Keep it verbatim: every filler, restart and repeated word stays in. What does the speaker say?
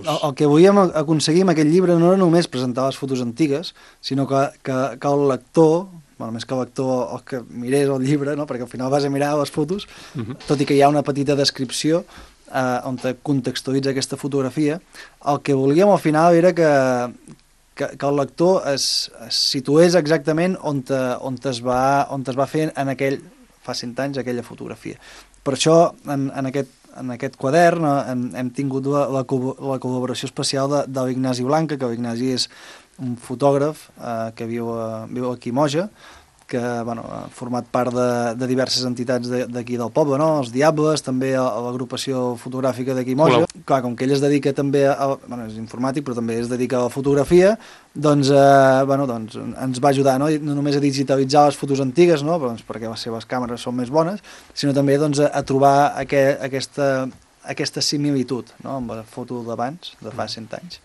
el, el que volíem aconseguir amb aquest llibre no era només presentar les fotos antigues, sinó que, que, que el lector, bueno, més que el lector, el que mirés el llibre, no? Perquè al final vas a mirar les fotos, uh -huh. tot i que hi ha una petita descripció eh, on te contextualitza aquesta fotografia, el que volíem al final era que, que, que el lector es, es situés exactament on, te, on, te es va, on te es va fer en aquell, fa cent anys, aquella fotografia. Per això, en, en aquest en aquest quadern hem, hem tingut la, la, la col·laboració especial de, de l'Ignasi Blanca, que l'Ignasi és un fotògraf eh, que viu, a, viu aquí a Moja, que bueno, ha format part de, de diverses entitats d'aquí de, del poble, no? Els Diables, també a, a l'agrupació fotogràfica d'aquí a Moja. Clar, com que ell es dedica també, a, bueno, és informàtic, però també es dedica a la fotografia, doncs, eh, bueno, doncs ens va ajudar, no? no només a digitalitzar les fotos antigues, no? Però, doncs, perquè les seves càmeres són més bones, sinó també doncs, a, a trobar aqu aquesta, aquesta similitud, no? Amb la foto d'abans, de fa cent anys.